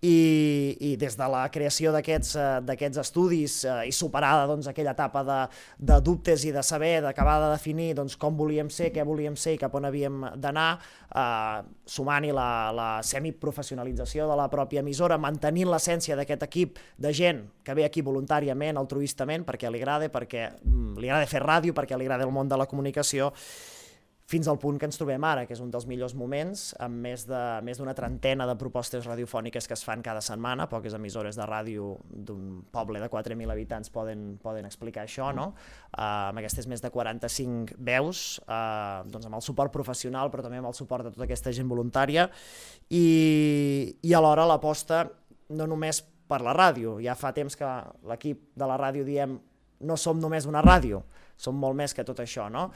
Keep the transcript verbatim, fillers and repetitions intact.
i, i des de la creació d'aquests eh, d'aquests estudis eh, i superada doncs, aquella etapa de, de dubtes i de saber, d'acabar de definir doncs, com volíem ser, què volíem ser i cap on havíem d'anar, eh, sumant-hi la, la semiprofessionalització de la pròpia emissora, mantenint l'essència d'aquest equip de gent que ve aquí voluntàriament, altruistament, perquè li agrada, perquè mm, li agrada fer ràdio, perquè li agrada el món de la comunicació, fins al punt que ens trobem ara, que és un dels millors moments, amb més de més d'una trentena de propostes radiofòniques que es fan cada setmana. Poques emissores de ràdio d'un poble de quatre mil habitants poden, poden explicar això, no? Uh, amb aquestes més de quaranta-cinc veus, uh, doncs amb el suport professional, però també amb el suport de tota aquesta gent voluntària, i, i alhora l'aposta no només per la ràdio. Ja fa temps que l'equip de la ràdio diem no som només una ràdio, som molt més que tot això, no?